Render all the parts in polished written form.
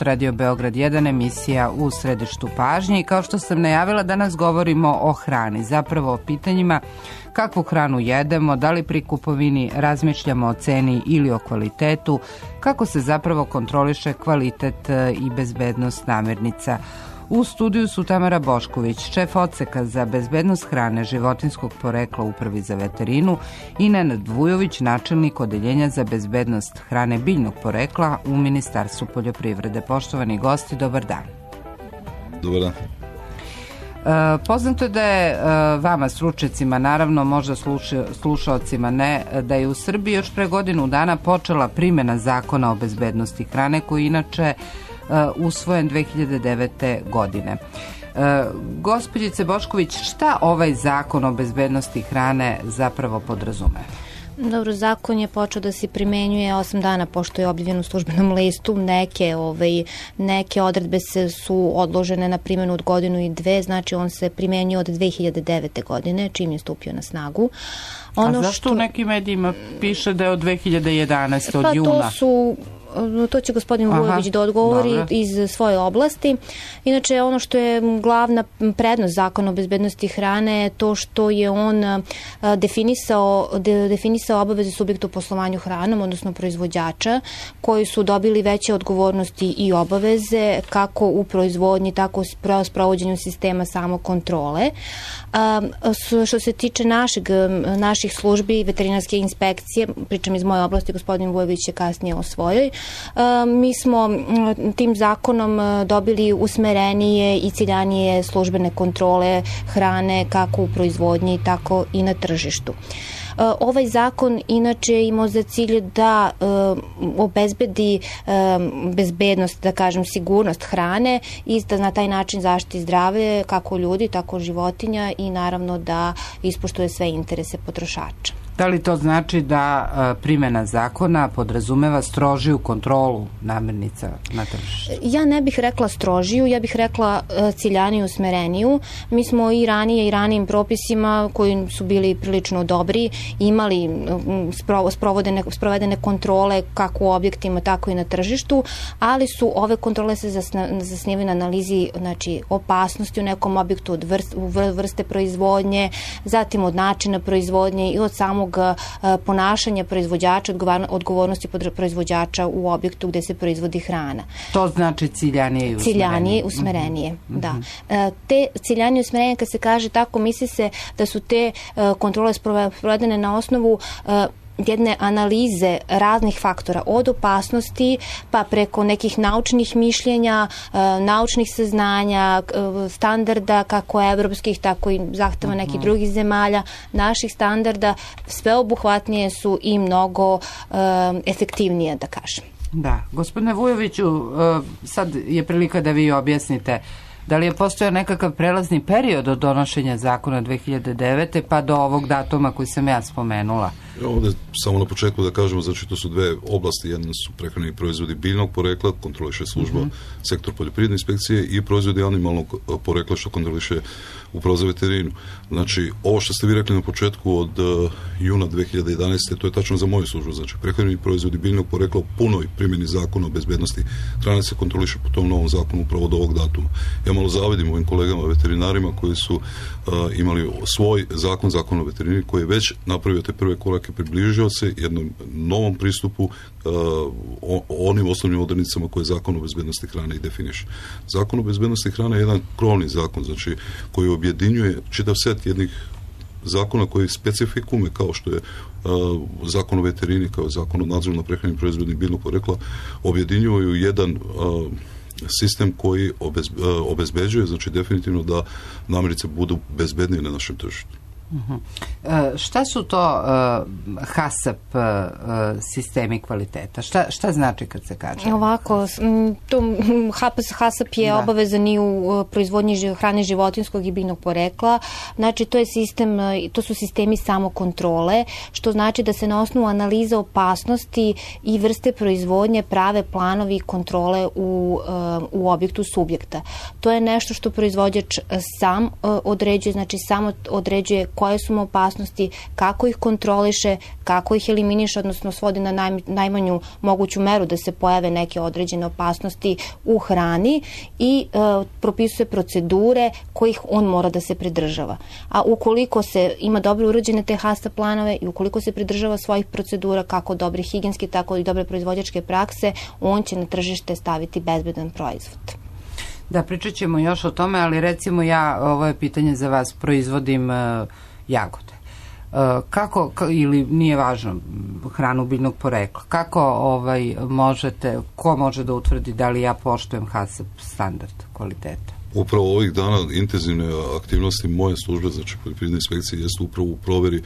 Radio Beograd 1, emisija u središtu pažnje, i kao što sam najavila, danas govorimo o hrani, zapravo o pitanjima kakvu hranu jedemo, da li pri kupovini razmišljamo o ceni ili o kvalitetu, kako se zapravo kontroliše kvalitet i bezbednost namirnica. U studiju su Tamara Bošković, šef odseka za bezbednost hrane životinjskog porekla u Upravi za veterinu, i Nenad Vujović, načelnik odeljenja za bezbednost hrane biljnog porekla u Ministarstvu poljoprivrede. Poštovani gosti, dobar dan. Dobar dan. Poznato je da je vama, stručnjacima, naravno, možda slušaocima ne, da je u Srbiji još pre godinu dana počela primjena Zakona o bezbednosti hrane, koji inače usvojen 2009. godine. Gospođice Bošković, šta ovaj Zakon o bezbednosti hrane zapravo podrazume? Dobro, zakon je počeo da se primenjuje 8 dana pošto je objavljen u službenom listu. Neke odredbe su odložene na primjenu od godinu i dve, znači on se primenjuje od 2009. godine, čim je stupio na snagu. A zašto u nekim medijima piše da je od 2011. od juna? To će gospodin Vujović da odgovori iz svoje oblasti. Inače, ono što je glavna prednost Zakona o bezbednosti hrane je to što je on definisao obaveze subjekta u poslovanju hranom, odnosno proizvođača, koji su dobili veće odgovornosti i obaveze kako u proizvodnji, tako u sprovođenju sistema samokontrole. Što se tiče naših službi, veterinarske inspekcije, pričam iz moje oblasti, gospodin Vujović je kasnije o svojoj, mi smo tim zakonom dobili usmerenije i ciljanije službene kontrole hrane kako u proizvodnji, tako i na tržištu. Ovaj zakon inače imao za cilj da obezbedi bezbednost, da kažem sigurnost hrane i da na taj način zaštiti zdravlje kako ljudi, tako životinja i naravno da ispoštuje sve interese potrošača. Da li to znači da primjena zakona podrazumeva strožiju kontrolu namirnica na tržištu? Ja ne bih rekla strožiju, ja bih rekla ciljaniju, usmereniju. Mi smo i ranije i ranijim propisima koji su bili prilično dobri imali sprovedene kontrole kako u objektima, tako i na tržištu, ali su ove kontrole se zasnivaju na analizi, znači, opasnosti u nekom objektu, od vrste proizvodnje, zatim od načina proizvodnje i od samog ponašanja proizvođača, odgovornosti proizvođača u objektu gde se proizvodi hrana. To znači ciljanije i usmerenije. Ciljanije i usmerenije, da. Te ciljanije i usmerenije, kad se kaže tako, misli se da su te kontrole sprovedene na osnovu jedne analize raznih faktora, od opasnosti pa preko nekih naučnih mišljenja, naučnih saznanja, standarda kako evropskih, tako i zahteva nekih drugih zemalja, naših standarda, sveobuhvatnije su i mnogo efektivnije, da kažem. Da. Gospodine Vujoviću, sad je prilika da vi objasnite da li je postojao nekakav prelazni period od donošenja zakona 2009. pa do ovog datuma koji sam ja spomenula? Ovdje samo na početku da kažemo, znači to su dve oblasti, jedna su prehrambeni proizvodi biljnog porekla, kontroliše služba sektor poljoprivredne inspekcije, i proizvodi animalnog porekla što kontroliše Uprava za veterinu. Znači, ovo što ste vi rekli na početku od juna 2011. to je tačno za moju službu, znači prehrambeni proizvodi biljnog porekla u punoj primjeni Zakona o bezbednosti hrane se kontroliše po tom novom zakonu upravo od ovog datuma. Ja malo zavidim ovim kolegama veterinarima koji su imali svoj zakon o veterini koji je već napravio te prve korake, približio se jednom novom pristupu onim osnovnim odrednicama koje Zakon o bezbednosti hrane i definiše. Zakon o bezbednosti hrane je jedan krovni zakon, znači koji objedinjuje čitav set jednih zakona koji specifikume, kao što je Zakon o veterini, kao Zakon o nadzoru nad prehrambenim proizvodima biljnog porekla, objedinjuju jedan sistem koji obezbeđuje, znači definitivno da namirnice budu bezbednije na našem tržištu. Šta su to HACCP sistemi kvaliteta? Šta znači kad se kaže? Ovako, HACCP je obavezan i u proizvodnji hrane životinjskog i biljnog porekla. Znači, to su sistemi samokontrole, što znači da se na osnovu analize opasnosti i vrste proizvodnje prave planovi kontrole u objektu subjekta. To je nešto što proizvođač sam određuje, znači samo određuje koje su mu opasnosti, kako ih kontroliše, kako ih eliminiše, odnosno svodi na najmanju moguću meru da se pojave neke određene opasnosti u hrani i propisuje procedure kojih on mora da se pridržava. A ukoliko se ima dobro urađene te HACCP planove i ukoliko se pridržava svojih procedura, kako dobre higijenske, tako i dobre proizvođačke prakse, on će na tržište staviti bezbedan proizvod. Da, pričat ćemo još o tome, ali recimo ovo je pitanje za vas, proizvodim jagode. Kako, ili nije važno, hranu biljnog porekla, kako ko može da utvrdi da li ja poštujem HACCP standard kvaliteta? Upravo ovih dana intenzivne aktivnosti moje službe, znači poljoprivredne inspekcije, jeste upravo u proveri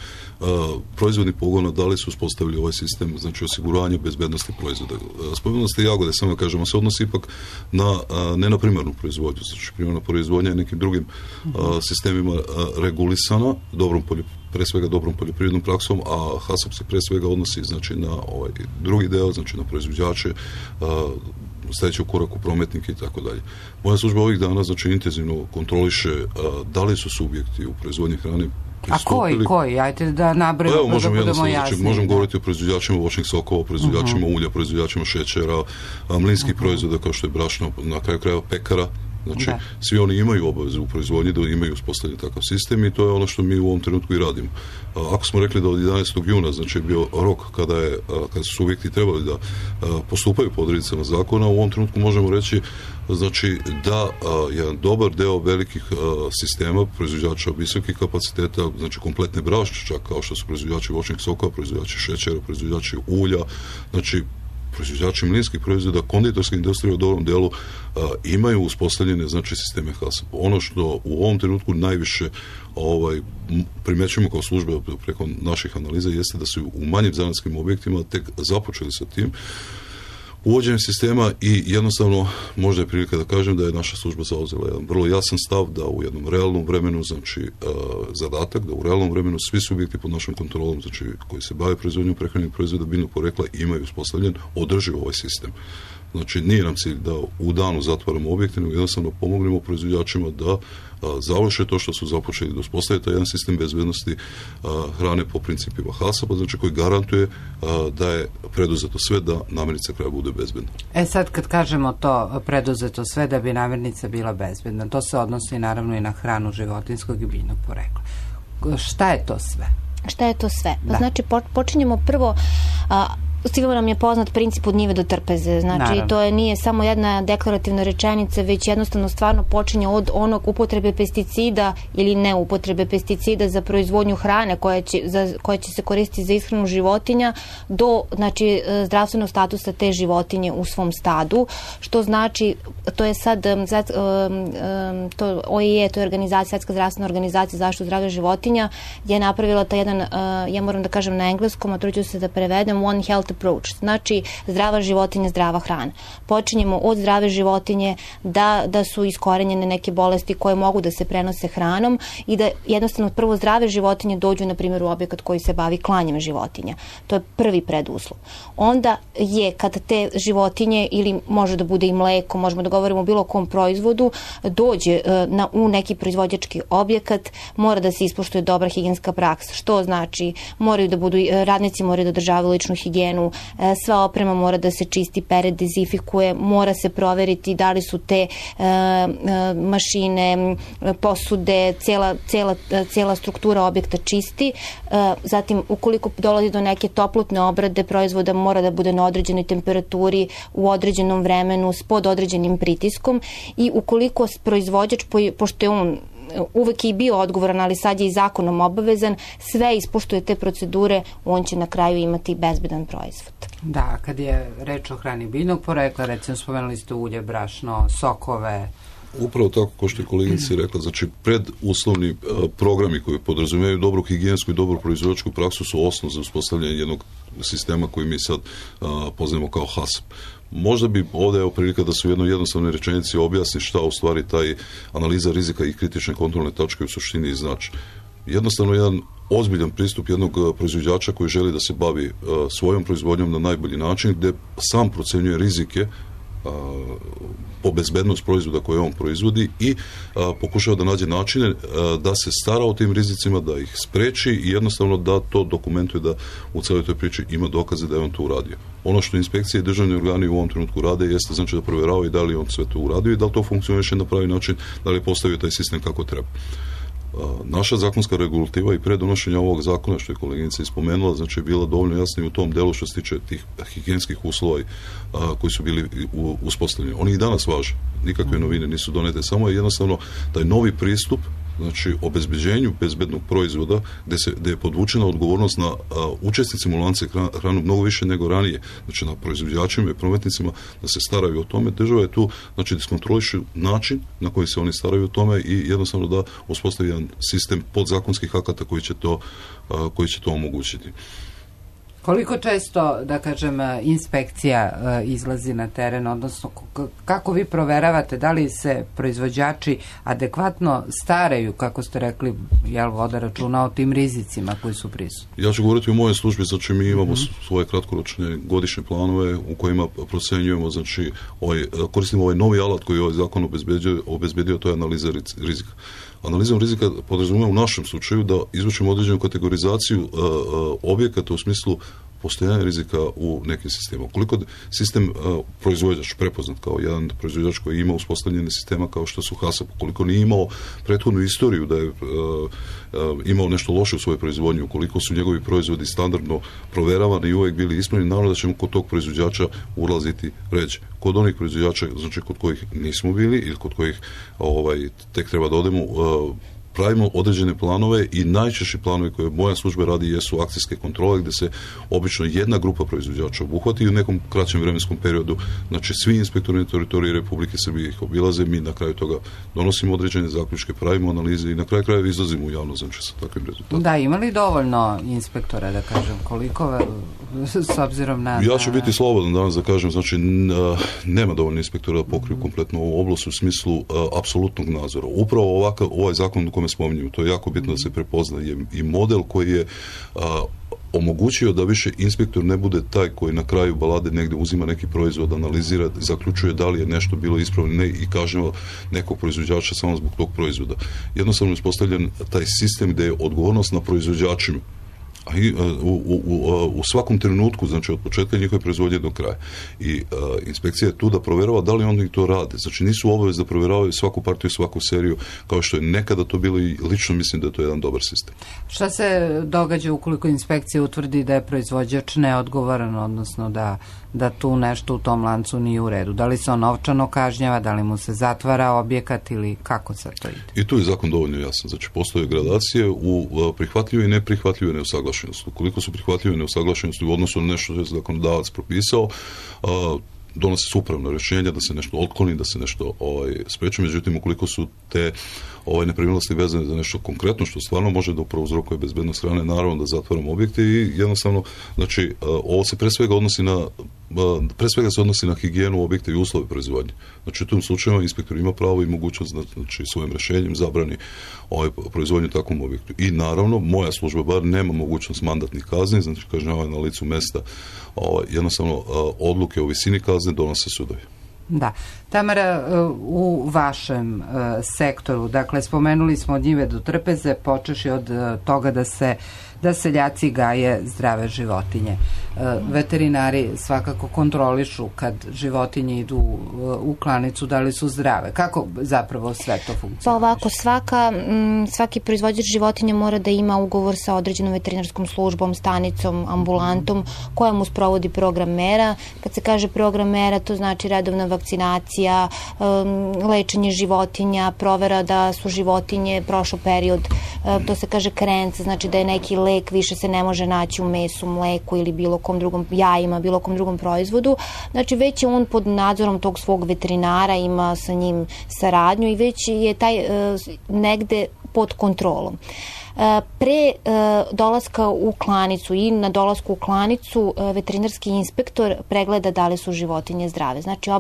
proizvodnih pogona, da li su uspostavili ovaj sistem, znači osiguranje bezbednosti proizvoda. Spomenuli ste jagode, samo da kažemo, se odnosi ipak ne na primarnu proizvodnju, znači primarna proizvodnja je nekim drugim sistemima regulisana, pre svega dobrom poljoprivrednom praksom, a HACCP se pre svega odnosi znači na ovaj drugi deo, znači na proizvođače, sledeći u koraku prometnike i tako dalje. Moja služba ovih dana znači intenzivno kontroliše da li su subjekti u proizvodnji hrane pristupili. A koji? Ajte da nabrojimo da budemo jasni. Znači, možemo govoriti o proizvođačima voćnih sokova, proizvođačima ulja, proizvođačima šećera, mlinskih proizvoda kao što je brašno, na kraju krajeva pekara. Znači, svi oni imaju obavezu u proizvodnji da imaju uspostavljen takav sistem i to je ono što mi u ovom trenutku i radimo. Ako smo rekli da od 11. juna, znači je bio rok kada su subjekti trebali da postupaju po odrednicama zakona, u ovom trenutku možemo reći znači da jedan dobar deo velikih sistema proizvođača visokih kapaciteta, znači kompletne brašče, čak kao što su proizvođači voćnih sokova, proizvođači šećera, proizvođači ulja, znači proizvođači mlinskih proizvoda, konditorske industrije u dobrom delu imaju uspostavljene znači sisteme HACCP. Ono što u ovom trenutku najviše primećujemo kao službe preko naših analiza jeste da su u manjim zanatskim objektima tek započeli sa tim uvođenjem sistema i jednostavno možda je prilika da kažem da je naša služba zauzela jedan vrlo jasan stav da u jednom realnom vremenu, znači zadatak da u realnom vremenu svi subjekti pod našom kontrolom, znači koji se bave proizvodnjom prehrambenih proizvoda biljnog porekla imaju uspostavljen održiv ovaj sistem. Znači nije nam cilj da u danu zatvaramo objekte, nego jednostavno pomognemo proizvođačima da završe to što su započeli, da uspostave taj jedan sistem bezbednosti hrane po principima HACCP-a, znači koji garantuje da je preduzeto sve da namirnica kraja bude bezbedna. Sad kad kažemo to preduzeto sve da bi namirnica bila bezbedna, to se odnosi naravno i na hranu životinjskog i biljnog porekla. Šta je to sve? Šta je to sve? Da. Znači počinjemo prvo sigurno nam je poznat princip od njive do trpeze. Znači, to nije samo jedna deklarativna rečenica, već jednostavno stvarno počinje od onog upotrebe pesticida ili ne upotrebe pesticida za proizvodnju hrane koja će se koristiti za ishranu životinja do znači, zdravstvenog statusa te životinje u svom stadu. Što znači, to je sad OIE, to je Svetska zdravstvena organizacija za zaštitu zdravlja životinja, je napravila taj jedan, ja moram da kažem na engleskom, a truću se da prevedem, One Health Approach, znači zdrava životinja, zdrava hrana. Počinjemo od zdrave životinje da su iskorenjene neke bolesti koje mogu da se prenose hranom i da jednostavno prvo zdrave životinje dođu na primjer u objekat koji se bavi klanjem životinja. To je prvi preduslov. Onda je kad te životinje ili može da bude i mleko, možemo da govorimo o bilo kom proizvodu, dođe u neki proizvođački objekat, mora da se ispoštuje dobra higijenska praksa. Što znači radnici moraju da održavaju ličnu higijenu, sva oprema mora da se čisti, pere, dezinfikuje, mora se proveriti da li su te mašine, posude, cijela struktura objekta čisti. Zatim, ukoliko dolazi do neke toplotne obrade proizvoda, mora da bude na određenoj temperaturi, u određenom vremenu, pod određenim pritiskom i ukoliko proizvođač, pošto je on uvek je i bio odgovoran, ali sad je i zakonom obavezan, sve ispoštuje te procedure, on će na kraju imati bezbedan proizvod. Da, kad je reč o hrani biljnog porekla, recimo spomenuli ste ulje, brašno, sokove. Upravo tako, kao što je kolegica rekla, znači preduslovni programi koji podrazumijevaju dobru higijensku i dobru proizvođačku praksu su osnov za uspostavljanje jednog sistema koji mi sad poznajemo kao HACCP. Možda bi ovdje je prilika da se u jednoj jednostavnoj rečenici objasni šta u stvari taj analiza rizika i kritične kontrolne tačke u suštini znači. Jednostavno jedan ozbiljan pristup jednog proizvođača koji želi da se bavi svojom proizvodnjom na najbolji način, gde sam procenjuje rizike po bezbednost proizvoda koje on proizvodi i pokušava da nađe načine da se stara o tim rizicima, da ih spreči i jednostavno da to dokumentuje, da u celoj toj priči ima dokaze da je on to uradio. Ono što inspekcije i državni organi u ovom trenutku rade jeste znači da provjeravaju da li on sve to uradio i da li to funkcioniše na pravi način, da li je postavio taj sistem kako treba. Naša zakonska regulativa i pre donošenja ovog zakona, što je koleginica ispomenula, znači je bila dovoljno jasna u tom delu što se tiče tih higijenskih uslova koji su bili uspostavljeni. Oni i danas važe, nikakve novine nisu donete, samo je jednostavno taj novi pristup, znači obezbeđenju bezbednog proizvoda gde je podvučena odgovornost na učesnicima u lancu hranu mnogo više nego ranije, znači na proizvođačima i prometnicima da se staraju o tome. Država je tu, znači da iskontroliše način na koji se oni staraju o tome i jednostavno da uspostavi jedan sistem podzakonskih akata koji će to omogućiti. Koliko često, da kažem, inspekcija izlazi na teren, odnosno kako vi proveravate da li se proizvođači adekvatno staraju, kako ste rekli, jel voda računa o tim rizicima koji su prisutni? Ja ću govoriti o mojoj službi, znači mi imamo svoje kratkoročne godišnje planove u kojima procenjujemo, znači koristimo ovaj novi alat koji ovaj zakon obezbedio, to je analiza rizika. Analizom rizika podrazumijeva u našem slučaju da izvučemo određenu kategorizaciju objekata u smislu postojanja rizika u nekim sistemima. Koliko sistem proizvođač prepoznat kao jedan proizvođač koji ima uspostavljene sistema kao što su HASAP, koliko nije imao prethodnu istoriju da je imao nešto loše u svojoj proizvodnji, ukoliko su njegovi proizvodi standardno proveravani i uvijek bili ispravni, naravno da ćemo kod tog proizvođača ulaziti ređe. Kod onih proizvođača, znači kod kojih nismo bili ili kod kojih tek treba da odemo, pravimo određene planove i najčešći planovi koje moja služba radi jesu akcijske kontrole gdje se obično jedna grupa proizvođača obuhvati i u nekom kraćem vremenskom periodu, znači svi inspektori na teritoriji Republike Srbije ih obilaze, mi na kraju toga donosimo određene zaključke, pravimo analize i na kraju krajeva izlazimo u javno, znači sa takvim rezultatom. Da, ima li dovoljno inspektora, da kažem, koliko s obzirom na... Ja ću biti slobodan danas da kažem, znači nema dovoljno inspektora da pokriju kompletno ovu oblast u smislu apsolutnog nadzora. Upravo ovaj zakon u kome spominjemo, to je jako bitno da se prepoznaje i model koji je omogućio da više inspektor ne bude taj koji na kraju balade negdje uzima neki proizvod, analizira, zaključuje da li je nešto bilo ispravno ne, i kažnjava nekog proizvođača samo zbog tog proizvoda. Jednostavno je uspostavljen taj sistem gdje je odgovornost na proizvođačima u svakom trenutku, znači od početka njihove proizvodnje do kraja. I inspekcija je tu da provjerava da li oni to rade. Znači nisu obavezni da provjeravaju svaku partiju, svaku seriju, kao što je nekada to bilo i lično mislim da je to jedan dobar sistem. Šta se događa ukoliko inspekcija utvrdi da je proizvođač neodgovoran, odnosno da tu nešto u tom lancu nije u redu? Da li se on novčano kažnjava, da li mu se zatvara objekat ili kako se to ide? I tu je zakon dovoljno jasan. Znači postoje gradacije u prihvatljive i neprihvatljive neusaglašenosti. Ukoliko su prihvatljive neusaglašenosti u odnosu na nešto što je zakonodavac propisao, donose se upravno rješenja da se nešto otkloni, da se nešto spreči. Međutim, ukoliko su te nepravilnosti vezane za nešto konkretno što stvarno može da prouzrokuje bezbednost hrane, naravno da zatvaramo objekte i jednostavno, znači, ovo se pre svega se odnosi na higijenu objekta i uslove proizvodnje. Znači, u tom slučaju inspektor ima pravo i mogućnost da, znači, svojim rješenjem zabrani proizvodnju takvom objektu. I naravno, moja služba bar nema mogućnost mandatnih kazni, znači kažnjavanje na licu mesta, jednostavno odluke o visini kazne donose sudovi. Da. Tamara, u vašem sektoru, dakle, spomenuli smo od njive do trpeze, počeši od toga da seljaci gaje zdrave životinje. Veterinari svakako kontrolišu kad životinje idu u klanicu, da li su zdrave. Kako zapravo sve to funkcioniše? Pa ovako, svaki proizvođač životinja mora da ima ugovor sa određenom veterinarskom službom, stanicom, ambulantom, koja mu sprovodi program mera. Kad se kaže program mera, to znači redovna vakcinacija, lečenje životinja, provera da su životinje prošao period, to se kaže karenca, znači da je neki lek više se ne može naći u mesu, mleku ili bilo kom drugom jajima, bilo kom drugom proizvodu. Znači već je on pod nadzorom tog svog veterinara, ima sa njim saradnju i već je taj negde pod kontrolom. Pre dolaska u klanicu i na dolasku u klanicu veterinarski inspektor pregleda da li su životinje zdrave. Znači,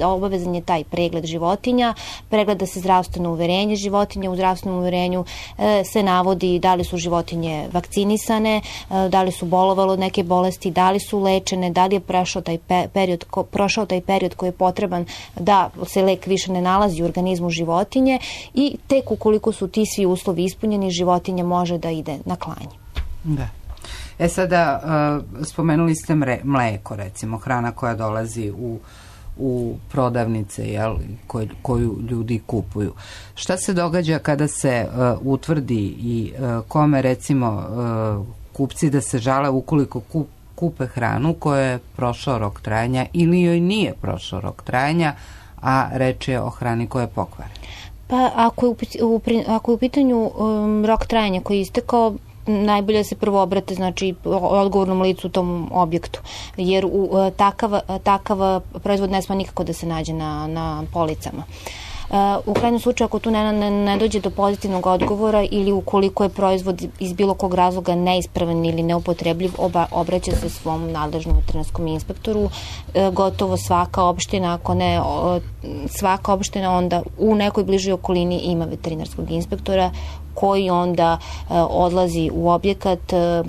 obavezan je taj pregled životinja, pregleda se zdravstveno uverenje životinja, u zdravstvenom uverenju se navodi da li su životinje vakcinisane, da li su bolovale od neke bolesti, da li su lečene, da li je prošao taj period koji je potreban da se lek više ne nalazi u organizmu životinje i tek ukoliko su ti svi uslovi ispunjeni, životinja može da ide na klanje. Da. Sada spomenuli ste mleko, recimo, hrana koja dolazi u prodavnice, koju ljudi kupuju. Šta se događa kada se utvrdi i kome, recimo, kupci da se žale ukoliko kupe hranu koja je prošao rok trajanja ili joj nije prošao rok trajanja, a reč je o hrani koja je pokvarena? Pa ako je u pitanju rok trajanja koji je istekao, najbolje se prvo obrate, znači, odgovornom licu u tom objektu, jer takav proizvod ne sme nikako da se nađe na policama. U krajnjem slučaju, ako tu ne dođe do pozitivnog odgovora ili ukoliko je proizvod iz bilo kog razloga neispravan ili neupotrebljiv, obraća se svom nadležnom veterinarskom inspektoru. Gotovo svaka opština, ako ne svaka opština, onda u nekoj bližoj okolini ima veterinarskog inspektora koji onda odlazi u objekat,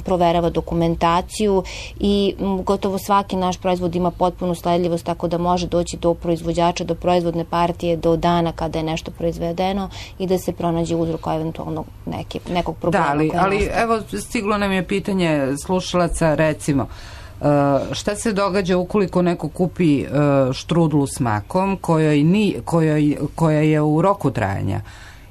proverava dokumentaciju i gotovo svaki naš proizvod ima potpunu sledljivost, tako da može doći do proizvođača, do proizvodne partije, do dana kada je nešto proizvedeno i da se pronađe uzrok eventualno nekog problema. Da, ali evo, stiglo nam je pitanje slušalaca, recimo, šta se događa ukoliko neko kupi štrudlu s makom koja je u roku trajanja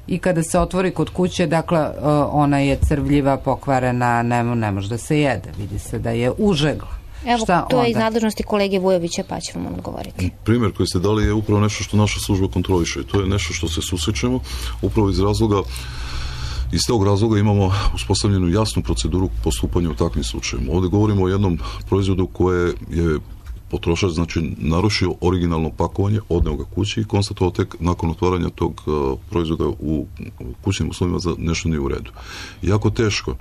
i kada se otvori kod kuće, dakle, ona je crvljiva, pokvarena, ne može da se jede, vidi se da je užegla. Evo, to je iz nadležnosti kolege Vujovića, pa će vam odgovoriti. Primjer koji ste dali je upravo nešto što naša služba kontroliše. To je nešto što se susrećemo upravo iz tog razloga imamo uspostavljenu jasnu proceduru postupanja u takvim slučajima. Ovdje govorimo o jednom proizvodu koje je potrošač, znači, narušio originalno pakovanje, odneo ga kući i konstatovao tek nakon otvaranja tog proizvoda u kućnim uslovima da nešto nije u redu. Jako teško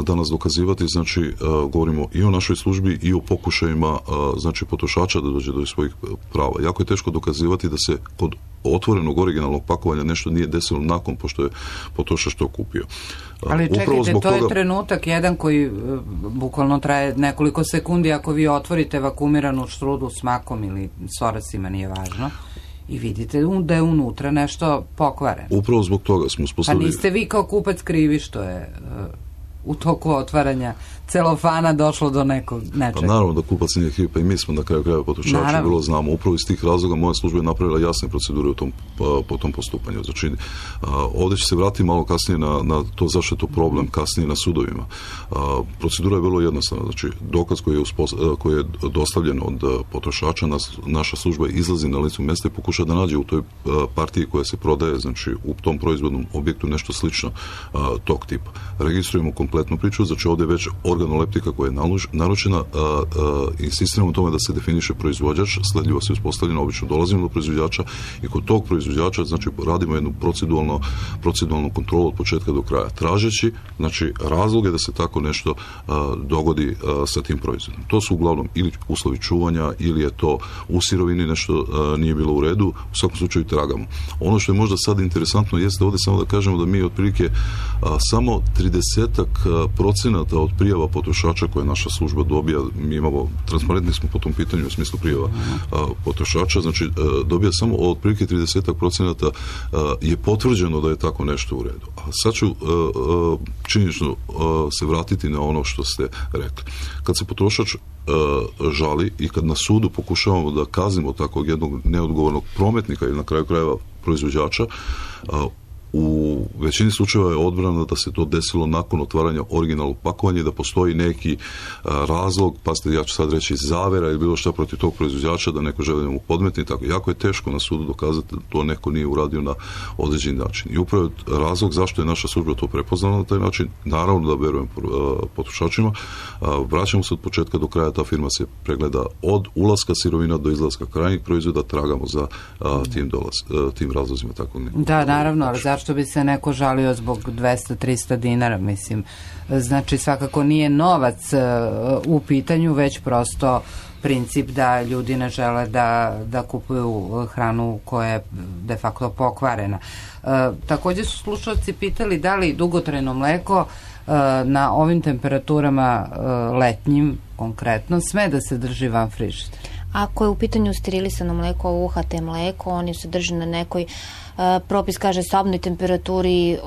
danas dokazivati, znači, govorimo i o našoj službi i o pokušajima, znači, potrošača da dođe do svojih prava. Jako je teško dokazivati da se kod otvorenog originalnog pakovanja nešto nije desilo nakon pošto je potrošač to kupio. Ali čekajte, to je trenutak jedan koji bukvalno traje nekoliko sekundi ako vi otvorite vakumiranu štrudlu s makom ili s orasima, nije važno, i vidite da je unutra nešto pokvareno. Upravo zbog toga smo uspostavili... Pa niste vi kao kupac krivi što je u toku otvaranja celofana došlo do nečega. Pa naravno da kupac nije kriv, pa i mi smo na kraju krajeva potrošači vrlo znamo. Upravo iz tih razloga moja služba je napravila jasne procedure po tom postupanju. Znači, ovdje će se vratiti malo kasnije na to zašto je to problem kasnije na sudovima. Procedura je vrlo jednostavna. Znači, dokaz koji je dostavljen od potrošača, naša služba izlazi na licu mjesta i pokuša da nađe u toj partiji koja se prodaje, znači u tom proizvodnom objektu nešto slično tog tipa. Registrujemo kompletnu priču, znači ovdje je već organoleptika koja je naručena, insistiramo u tome da se definiše proizvođač, sledljivo se uspostavljeno, obično dolazimo do proizvođača i kod tog proizvođača, znači, radimo jednu proceduralnu kontrolu od početka do kraja, tražeći, znači, razloge da se tako nešto dogodi sa tim proizvodom. To su uglavnom ili uslovi čuvanja, ili je to u sirovini nešto nije bilo u redu, u svakom slučaju tragamo. Ono što je možda sad interesantno jeste ovdje samo da kažemo da mi otprilike samo 30% od prijava potrošača koje naša služba dobija, mi imamo, transparentni smo po tom pitanju u smislu prijava potrošača, znači dobija samo otprilike 30% je potvrđeno da je tako nešto u redu. A sad ću činjenično se vratiti na ono što ste rekli. Kad se potrošač žali i kad na sudu pokušavamo da kaznimo takvog jednog neodgovornog prometnika ili na kraju krajeva proizvođača, u većini slučajeva je odbrana da se to desilo nakon otvaranja originalnog pakovanja i da postoji neki razlog, pa ja ću sad reći zavera ili bilo šta protiv tog proizvođača da neko želi da mu podmetni, tako jako je teško na sudu dokazati da to neko nije uradio na određeni način. I upravo je razlog zašto je naša služba to prepoznala na taj način, naravno da verujem potrošačima, vraćamo se od početka do kraja, ta firma se pregleda od ulaska sirovina do izlaska krajnjih proizvoda, tragamo za tim razlozima. Tako da, naravno, ali zašto zašto bi se neko žalio zbog 200-300 dinara, mislim. Znači, svakako nije novac u pitanju, već prosto princip da ljudi ne žele da kupuju hranu koja je de facto pokvarena. Takođe su slušalci pitali da li dugotrajno mleko na ovim temperaturama letnjim konkretno sme da se drži van frižidera. Ako je u pitanju sterilisano mleko, UHT mleko, oni se drže na nekoj propis kaže sobnoj temperaturi,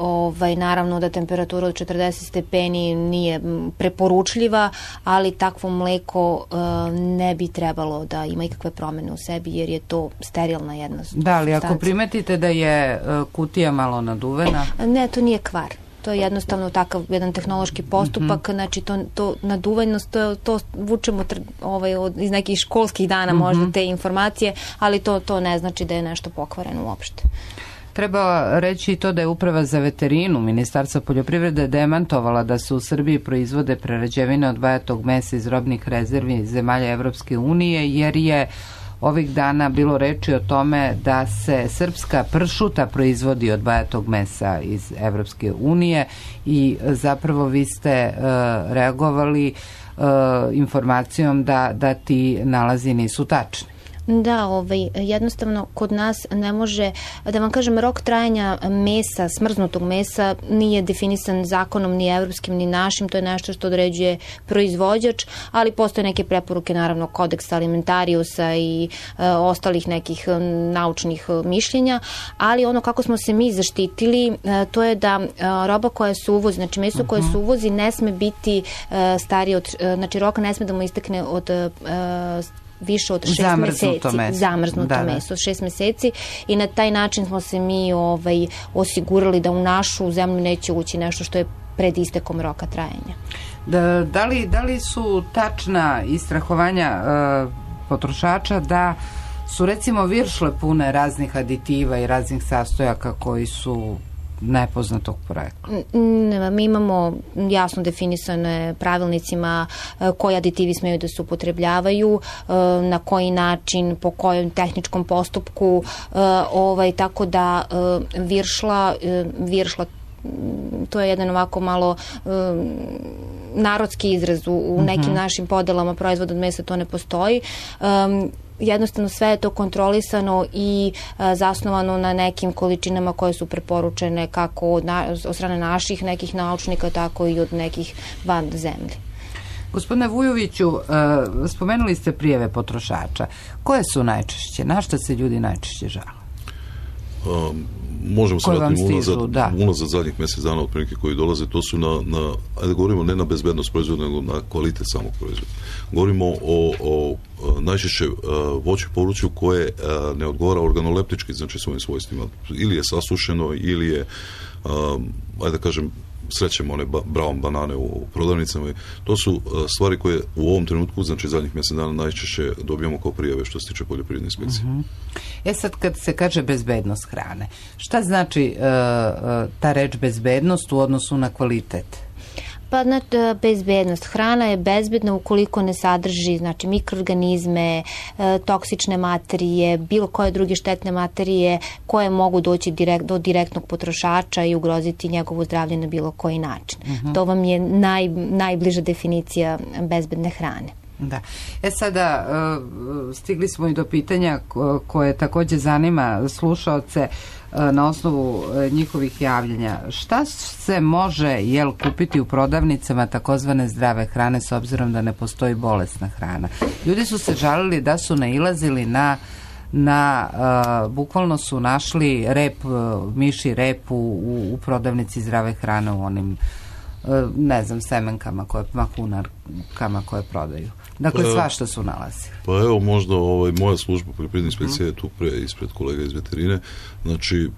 naravno da temperatura od 40 stepeni nije preporučljiva, ali takvo mleko ne bi trebalo da ima ikakve promene u sebi, jer je to sterilna jedna substanca. Da, ali ako primetite da je kutija malo naduvena? Ne, to nije kvar. To je jednostavno takav jedan tehnološki postupak, znači to naduvajnost, to vučemo iz nekih školskih dana možda te informacije, ali to ne znači da je nešto pokvareno uopšte. Treba reći i to da je Uprava za veterinu Ministarstva poljoprivrede demantovala da se u Srbiji proizvode prerađevine od bajatog mesa iz robnih rezervi zemalja Evropske unije, jer je ovih dana bilo reči o tome da se srpska pršuta proizvodi od bajatog mesa iz Evropske unije i zapravo vi ste reagovali informacijom da ti nalazi nisu tačni. Da, jednostavno kod nas ne može, da vam kažem, rok trajanja mesa, smrznutog mesa nije definisan zakonom ni evropskim ni našim, to je nešto što određuje proizvođač, ali postoje neke preporuke, naravno kodeksa alimentariusa i ostalih nekih naučnih mišljenja, ali ono kako smo se mi zaštitili, to je da roba koja se uvozi, znači meso koje se uvozi ne sme biti starije od, znači rok ne sme da mu istekne od više od 6 meseci. Zamrznuto meso, 6 meseci, i na taj način smo se mi osigurali da u našu zemlju neće ući nešto što je pred istekom roka trajanja. Da li su tačna istrahovanja potrošača da su recimo viršle pune raznih aditiva i raznih sastojaka koji su nepoznatog porekla? Mi imamo jasno definisane pravilnicima koji aditivi smeju da se upotrebljavaju, na koji način, po kojem tehničkom postupku, tako da viršla, to je jedan ovako malo narodski izraz, u nekim našim podelama proizvoda od mesa to ne postoji. Jednostavno sve je to kontrolisano i zasnovano na nekim količinama koje su preporučene kako od strane naših nekih naučnika, tako i od nekih van zemlje. Gospodine Vujoviću, spomenuli ste prijave potrošača. Koje su najčešće? Na šta se ljudi najčešće žale? Možemo se vratiti unazad zadnjih mjesec dana otprilike koji dolaze, to su ajde govorimo ne na bezbednost proizvoda, nego na kvalitet samog proizvoda. Govorimo o najčešće voću i povrću koje ne odgovara organoleptički, znači svojim svojstvima. Ili je sasušeno, ili je, ajde da kažem, srećemo one brown banane u prodavnicama. To su stvari koje u ovom trenutku, znači zadnjih mjesec dana, najčešće dobijamo kao prijave što se tiče poljoprivredne inspekcije. Sad kad se kaže bezbednost hrane, šta znači ta reč bezbednost u odnosu na kvalitet? Pa, bezbednost. Hrana je bezbedna ukoliko ne sadrži, znači, mikroorganizme, toksične materije, bilo koje druge štetne materije koje mogu doći do direktnog potrošača i ugroziti njegovo zdravlje na bilo koji način. To vam je najbliža definicija bezbedne hrane. Da. Sada stigli smo i do pitanja koje takođe zanima slušaoce na osnovu njihovih javljanja. Šta se može kupiti u prodavnicama takozvane zdrave hrane s obzirom da ne postoji bolesna hrana? Ljudi su se žalili da su nailazili bukvalno su našli miši rep u prodavnici zdrave hrane u onim semenkama, mahunarkama koje prodaju. Dakle, svašta su nalazili. Pa evo, možda moja služba poljoprivredne inspekcije je tu ispred kolega iz veterine. Znači,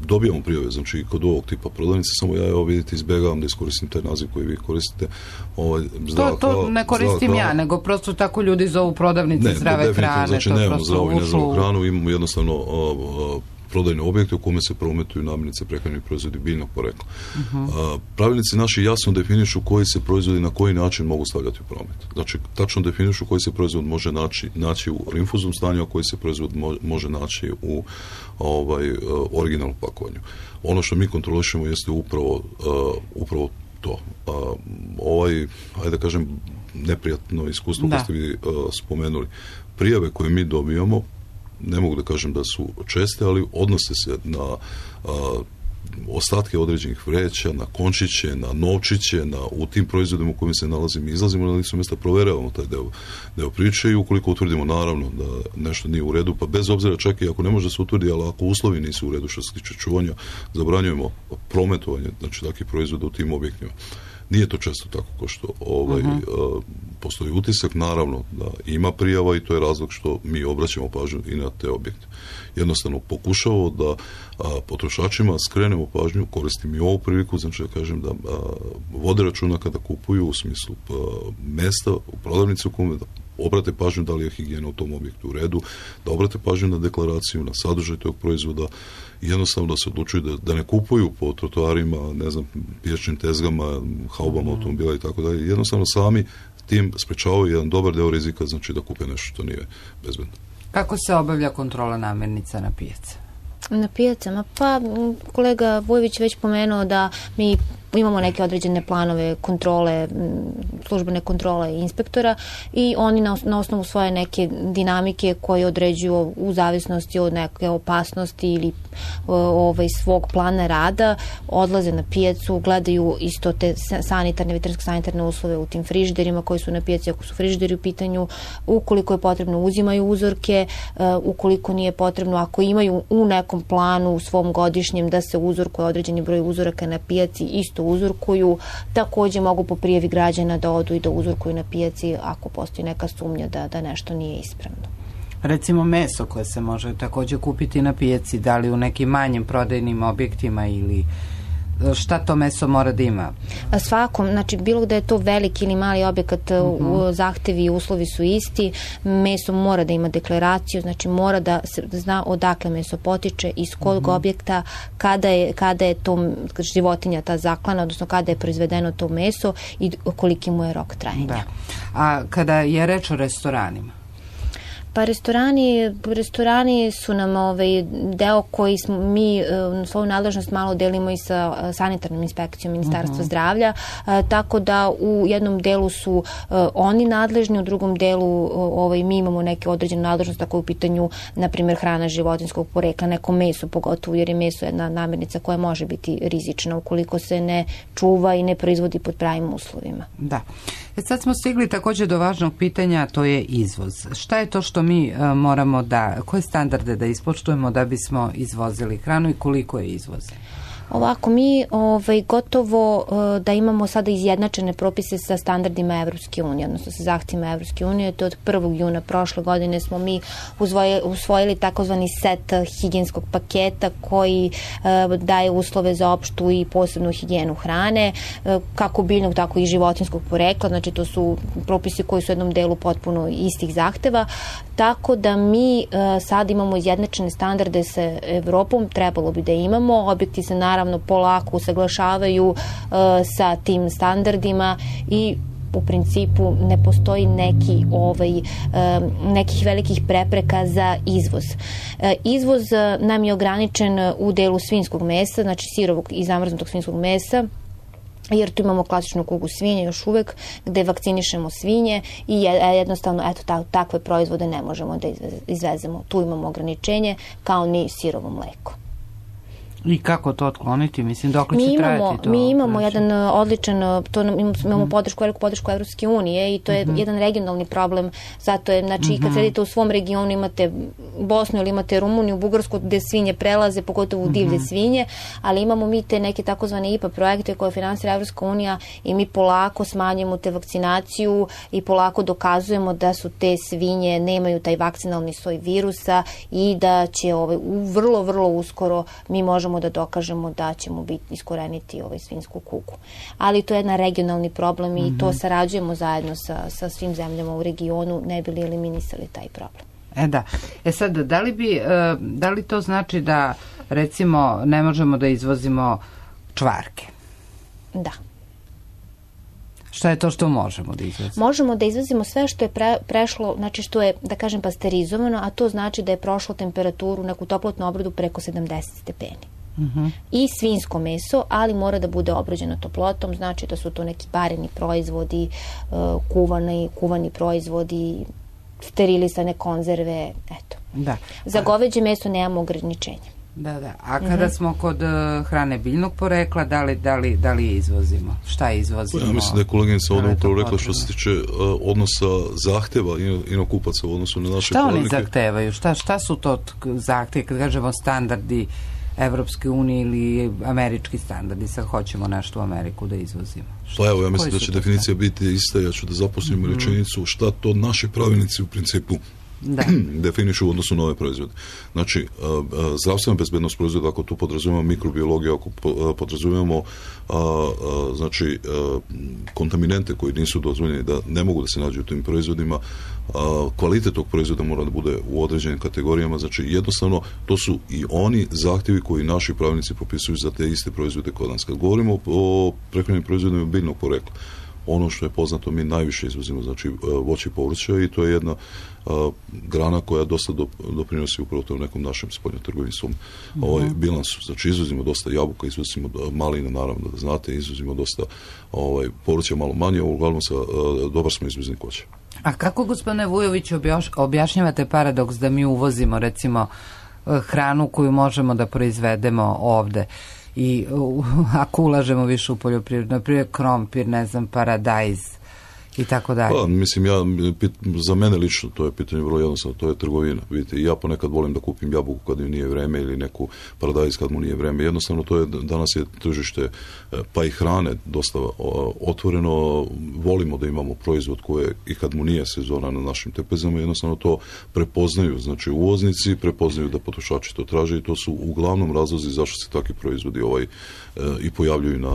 dobijamo prijave, znači, kod ovog tipa prodavnice, samo ja, vidite, izbegavam da iskoristim taj naziv koji vi koristite. To ne koristim ja, nego prosto tako ljudi zovu prodavnice zdrave hrane. Znači, nemamo zdravu i nezdravu hranu, imamo jednostavno prodajne objekte u kome se prometuju namirnice, prehrambeni proizvodi biljnog porekla. Pravilnici naši jasno definišu koji se proizvodi na koji način mogu stavljati u promet. Znači, tačno definišu koji se proizvod može naći u rinfuznom stanju, a koji se proizvod može naći u originalnom pakovanju. Ono što mi kontrolišemo jeste upravo to. Ajde da kažem, neprijatno iskustvo koje ste vi spomenuli. Prijave koje mi dobijamo, ne mogu da kažem da su česte, ali odnose se na ostatke određenih vreća, na končiće, na novčiće, u tim proizvodima u kojima se nalazimo i izlazimo na licu mjesta, proveravamo taj deo priče i ukoliko utvrdimo naravno da nešto nije u redu, pa bez obzira čak i ako ne može da se utvrdi, ali ako uslovi nisu u redu što se tiče čuvanja, zabranjujemo prometovanje, znači takvih proizvoda u tim objektima. Nije to često tako kao što postoji utisak, naravno da ima prijava i to je razlog što mi obraćamo pažnju i na te objekte. Jednostavno pokušavamo da potrošačima skrenemo pažnju, koristim i ovu priliku, znači da kažem da vode računa kada kupuju u smislu mesta u prodavnici u kome da obrate pažnju da li je higijena u tom objektu u redu, da obrate pažnju na deklaraciju, na sadržaj tog proizvoda i jednostavno da se odlučuju da ne kupuju po trotoarima, ne znam, pijačnim tezgama, haubama automobila i tako dalje. Jednostavno sami tim sprečavaju jedan dobar deo rizika, znači da kupe nešto što nije bezbedno. Kako se obavlja kontrola namirnica na pijaci? Na pijacama? Pa kolega Vujović već pomenuo da mi imamo neke određene planove kontrole, službene kontrole inspektora i oni na osnovu svoje neke dinamike koje određuju u zavisnosti od neke opasnosti ili svog plana rada, odlaze na pijacu, gledaju isto te veterinarsko-sanitarne uslove u tim frižiderima koji su na pijaci, ako su frižideri u pitanju, ukoliko je potrebno uzimaju uzorke, ukoliko nije potrebno, ako imaju u nekom planu u svom godišnjem da se uzorkuje određeni broj uzoraka na pijaci, isto uzorkuju, takođe mogu po prijavi građana da odu i da uzorkuju na pijaci ako postoji neka sumnja da nešto nije ispravno. Recimo meso koje se može takođe kupiti na pijaci, da li u nekim manjim prodajnim objektima ili šta to meso mora da ima? Svakom, znači bilo da je to veliki ili mali objekat, zahtevi i uslovi su isti, meso mora da ima deklaraciju, znači mora da se zna odakle meso potiče, iz kojeg objekta, kada je to životinja ta zaklana, odnosno kada je proizvedeno to meso i koliki mu je rok trajanja. Da. A kada je reč o restoranima? Pa restorani su nam deo koji smo mi svoju nadležnost malo delimo i sa sanitarnom inspekcijom Ministarstva zdravlja, tako da u jednom delu su oni nadležni, u drugom delu mi imamo neke određene nadležnosti, tako u pitanju, na primjer, hrana životinjskog porekla, neko meso, pogotovo jer je meso jedna namirnica koja može biti rizična ukoliko se ne čuva i ne proizvodi pod pravim uslovima. Da. Sad smo stigli također do važnog pitanja, to je izvoz. Šta je to što mi moramo koje standarde da ispoštujemo da bismo izvozili hranu i koliko je izvoz? Ovako, mi gotovo da imamo sada izjednačene propise sa standardima Evropske unije, odnosno sa zahtjevima Evropske unije. To od 1. juna prošle godine smo mi usvojili takozvani set higijenskog paketa koji daje uslove za opštu i posebnu higijenu hrane, kako biljnog, tako i životinjskog porekla. Znači, to su propisi koji su u jednom delu potpuno istih zahteva. Tako da mi sad imamo izjednačene standarde sa Evropom, trebalo bi da imamo. Objekti se naravno polako usaglašavaju sa tim standardima i u principu ne postoji nekih velikih prepreka za izvoz. Izvoz nam je ograničen u delu svinjskog mesa, znači sirovog i zamrznutog svinjskog mesa, jer tu imamo klasičnu kugu svinje još uvek, gde vakcinišemo svinje i jednostavno takve proizvode ne možemo da izvezemo. Tu imamo ograničenje, kao ni sirovo mleko. I kako to otkloniti? Mislim, dok li će trajati to? Mi imamo jedan odličan, imamo veliku podršku Evropske unije i to je jedan regionalni problem. Zato je, znači, kad sedite u svom regionu, imate Bosnu ili imate Rumuniju, Bugarsku, gde svinje prelaze, pogotovo divlje svinje, ali imamo mi te neke takozvane IPA projekte koje finansira Evropska unija i mi polako smanjujemo te vakcinaciju i polako dokazujemo da su te svinje, nemaju taj vakcinalni soj virusa i da će vrlo, vrlo uskoro mi možemo da dokažemo da ćemo iskoreniti svinjsku kugu. Ali to je jedan regionalni problem i to sarađujemo zajedno sa svim zemljama u regionu, ne bi li eliminisali taj problem. Da. Sad, da li to znači da recimo ne možemo da izvozimo čvarke? Da. Šta je to što možemo da izvozimo? Možemo da izvozimo sve što je prešlo, znači što je, da kažem, pasterizovano, a to znači da je prošlo temperaturu, neku toplotnu obradu preko 70 stepeni. I svinjsko meso, ali mora da bude obrađeno toplotom, znači da su to neki pareni proizvodi, kuvani proizvodi, sterilisane konzerve, eto. Da. Za goveđe meso nemamo ograničenja. Da. A kada smo kod hrane biljnog porekla, da li izvozimo? Šta izvozimo? Ja mislim da je koleginica ovdje upravo rekla što se tiče odnosa zahteva inokupaca u odnosu na naše pravilnike. Šta oni zahtevaju? Šta su to zahtjevi, kad kažemo standardi Evropske unije ili američki standardi? Sad hoćemo nešto u Ameriku da izvozimo. Pa evo, ja mislim da će definicija biti ista, ja ću da zaposlimo rečenicu šta to naši pravilnici u principu definišu u odnosu na ove proizvode. Znači, zdravstvena bezbednost proizvoda, ako tu podrazumijemo mikrobiologiju, ako podrazumijemo znači kontaminente koji nisu dozvoljeni, da ne mogu da se nađu u tim proizvodima, kvalitet tog proizvoda mora da bude u određenim kategorijama, znači jednostavno to su i oni zahtjevi koji naši pravilnici propisuju za te iste proizvode kod nas. Kad govorimo o prehrambenim proizvodima biljnog porekla, ono što je poznato, mi najviše izvozimo, znači voće i povrće, i to je jedna grana koja dosta doprinosi upravo tom nekom našem spoljnotrgovinskom bilansu. Znači izvozimo dosta jabuka, izvozimo malina, naravno da znate, izvozimo dosta povrća, malo manje, uglavnom dobar smo izvoznik voća. A kako, gospodine Vujović, objašnjavate paradoks da mi uvozimo recimo hranu koju možemo da proizvedemo ovde? I ako ulažemo više u poljoprivredu, naprimjer krompir, ne znam, paradajz i tako dalje. Pa, mislim, za mene lično to je pitanje vrlo jednostavno, to je trgovina. Vidite, ja ponekad volim da kupim jabuku kad mi nije vreme ili neku paradajz kad mu nije vreme. Jednostavno, danas je tržište pa i hrane dosta otvoreno. Volimo da imamo proizvod koje i kad mu nije sezona na našim tepezama, jednostavno to prepoznaju. Znači, uvoznici prepoznaju da potrošači to traže i to su uglavnom razlozi zašto se takvi proizvodi i pojavljuju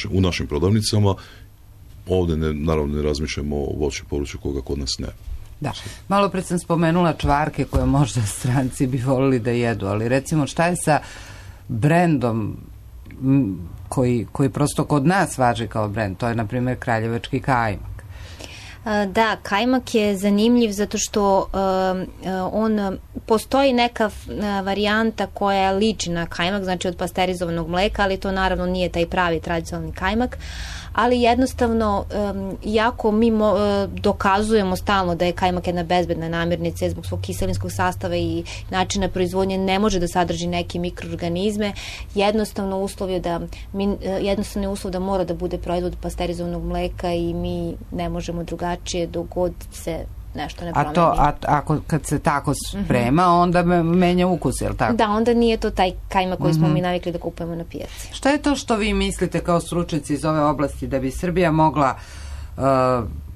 u našim prodavnicama. Ovdje naravno ne razmišljamo o voću i povrću koga kod nas ne. Da, malo pred sam spomenula čvarke koje možda stranci bi volili da jedu, ali recimo šta je sa brendom koji prosto kod nas važi kao brend, to je na primjer kraljevački kajmak. Da, kajmak je zanimljiv zato što postoji neka varijanta koja liči na kajmak, znači od pasterizovanog mleka, ali to naravno nije taj pravi tradicionalni kajmak, ali jednostavno, iako mi dokazujemo stalno da je kajmak jedna bezbedna namirnica zbog svog kiselinskog sastava i načina proizvodnje, ne može da sadrži neke mikroorganizme, jednostavno uslov da mora da bude proizvod pasterizovanog mleka i mi ne možemo drugačije dok god se nešto ne promeni. Kad se tako sprema, onda menja ukus, je li tako? Da, onda nije to taj kajmak koji smo mi navikli da kupujemo na pijaci. Šta je to što vi mislite kao stručnjaci iz ove oblasti da bi Srbija mogla,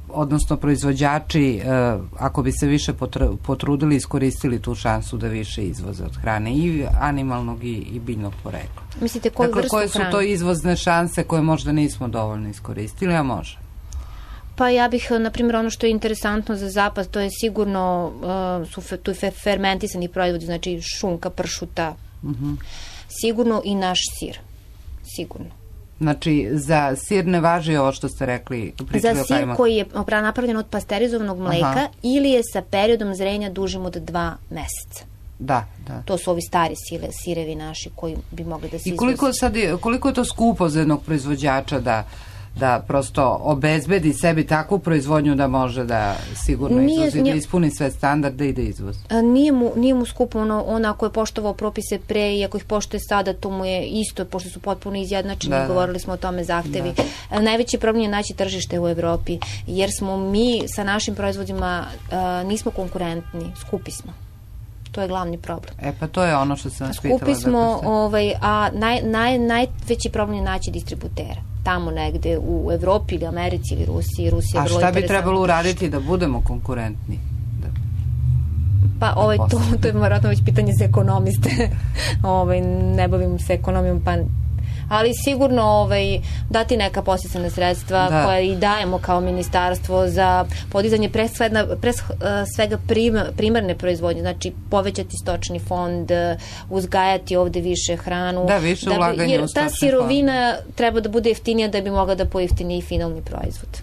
odnosno proizvođači, ako bi se više potrudili, iskoristili tu šansu da više izvoze od hrane i animalnog i biljnog porekla? Mislite koju vrstu hrane? Koje su to izvozne šanse koje možda nismo dovoljno iskoristili, a može? Pa ja bih, na primjer, ono što je interesantno za zapad, to je sigurno tu fermentisani proizvodi, znači šunka, pršuta, sigurno i naš sir, sigurno. Znači, za sir ne važi ovo što ste rekli? Za sir koji je napravljen od pasterizovanog mleka ili je sa periodom zrenja dužim od 2 meseca. Da. To su ovi stari sirevi naši koji bi mogli da se izvoze. I koliko je to skupo za jednog proizvođača da prosto obezbedi sebi takvu proizvodnju da može da sigurno izvozi, da ispuni sve standarde i da izvozi? Nije mu skupo, on ako je poštovao propise pre i ako ih poštuje sada, to mu je isto, pošto su potpuno izjednačeni, govorili smo o tome zahtevi. Najveći problem je naći tržište u Evropi, jer smo mi sa našim proizvodima nismo konkurentni, skupi smo. To je glavni problem. Pa to je ono što sam vas pitala. Skupi smo, a najveći problem je naći distributera. Tamo negde u Evropi ili Americi ili Rusiji. A šta bi trebalo uraditi da budemo konkurentni? Pa to je vjerojatno već pitanje za ekonomiste. Ne bavim se ekonomijom, pa ali sigurno dati neka podsticajna sredstva koja i dajemo kao ministarstvo za podizanje pre svega primarne proizvodnje, znači povećati stočni fond, uzgajati ovde više hranu. Da, više ulaganja u stočni fond. Jer ta sirovina treba da bude jeftinija da bi mogla da pojeftini i finalni proizvod.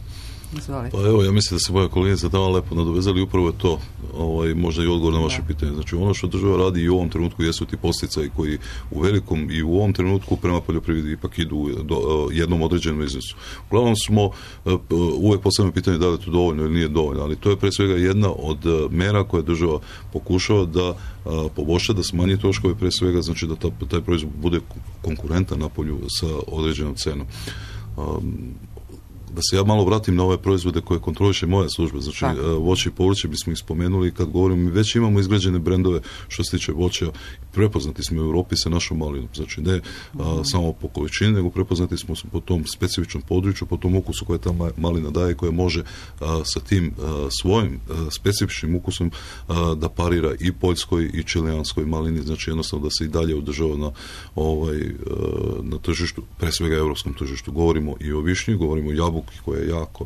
Pa evo, ja mislim da se moja koleginica tamo lepo nadovezali, upravo je to možda i odgovor na vaše pitanje. Znači, ono što država radi i u ovom trenutku jesu ti podsticaji koji u velikom i u ovom trenutku prema poljoprivredi ipak idu do jednom određenom iznosu. Uglavnom smo uvek postavljamo pitanje da li je to dovoljno ili nije dovoljno, ali to je pre svega jedna od mera koje država pokušava da poboljša, da smanji troškove pre svega, znači da taj proizvod bude konkurentan na polju sa određenom cenom. Da se ja malo vratim na ove proizvode koje kontroliše moja služba, znači voće i povrće bismo ih spomenuli, kad govorimo, mi već imamo izgrađene brendove što se tiče voća, prepoznati smo u Europi sa našom malinom, znači ne samo po količini, nego prepoznati smo po tom specifičnom području, po tom ukusu koje ta malina daje, koja može sa tim svojim specifičnim ukusom da parira i poljskoj i čilijanskoj malini, znači jednostavno da se i dalje održava na tržištu, pre svega evropskom tržištu. Govorimo i o višnji, govorimo o jabuki koja je jako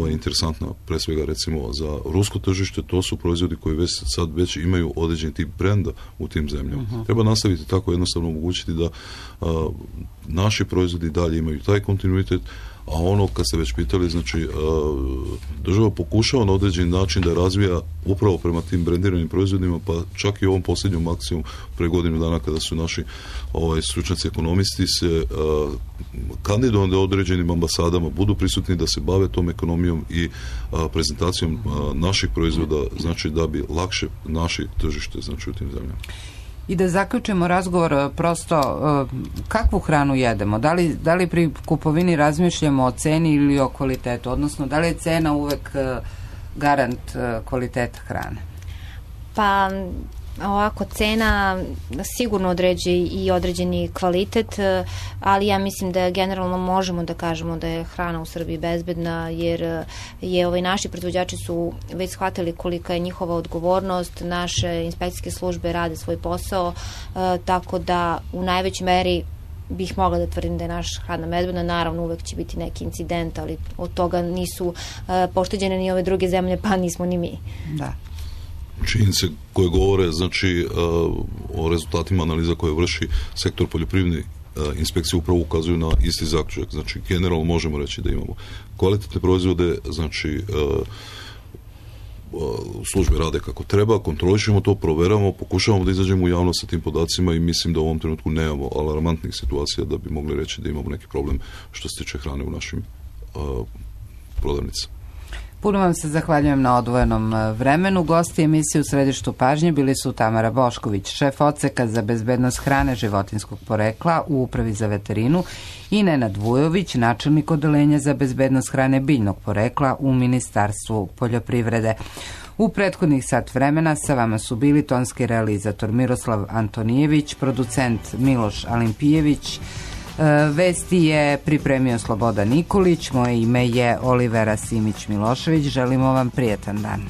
interesantna, pre svega recimo za rusko tržište, to su proizvodi koji sad već imaju određen tip brenda u tim zemljama. Treba nastaviti tako, jednostavno omogućiti da naši proizvodi dalje imaju taj kontinuitet, a ono kad ste već pitali, znači država pokušava na određeni način da razvija upravo prema tim brendiranim proizvodima, pa čak i ovom posljednjom akcijom pre godinu dana kada su naši stručnjaci ekonomisti se kandidovani određenim ambasadama budu prisutni da se bave tom ekonomijom i prezentacijom naših proizvoda, znači da bi lakše naši tržište, znači u tim zemljama. I da zaključimo razgovor, prosto kakvu hranu jedemo? Da li pri kupovini razmišljamo o ceni ili o kvalitetu? Odnosno, da li je cena uvek garant kvaliteta hrane? Pa, ovako, cena sigurno određuje i određeni kvalitet, ali ja mislim da generalno možemo da kažemo da je hrana u Srbiji bezbedna, jer naši proizvođači su već shvatili kolika je njihova odgovornost, naše inspekcijske službe rade svoj posao, tako da u najvećoj meri bih mogla da tvrdim da je naša hrana bezbedna. Naravno, uvek će biti neki incident, ali od toga nisu pošteđene ni ove druge zemlje, pa nismo ni mi. Da. Činjenice koje govore, znači, o rezultatima analiza koje vrši sektor poljoprivredne inspekcije upravo ukazuju na isti zaključak. Znači, generalno možemo reći da imamo kvalitetne proizvode, znači, službe rade kako treba, kontrolišemo to, proveramo, pokušavamo da izađemo u javnost sa tim podacima i mislim da u ovom trenutku nemamo alarmantnih situacija da bi mogli reći da imamo neki problem što se tiče hrane u našim prodavnicama. Puno vam se zahvaljujem na odvojenom vremenu. Gosti emisije U središtu pažnje bili su Tamara Bošković, šef odseka za bezbednost hrane životinjskog porekla u Upravi za veterinu, i Nenad Vujović, načelnik odeljenja za bezbednost hrane biljnog porekla u Ministarstvu poljoprivrede. U prethodnih sat vremena sa vama su bili tonski realizator Miroslav Antonijević, producent Miloš Alimpijević, vesti je pripremio Slobodan Nikolić, moje ime je Olivera Simić-Milošević, želimo vam prijetan dan.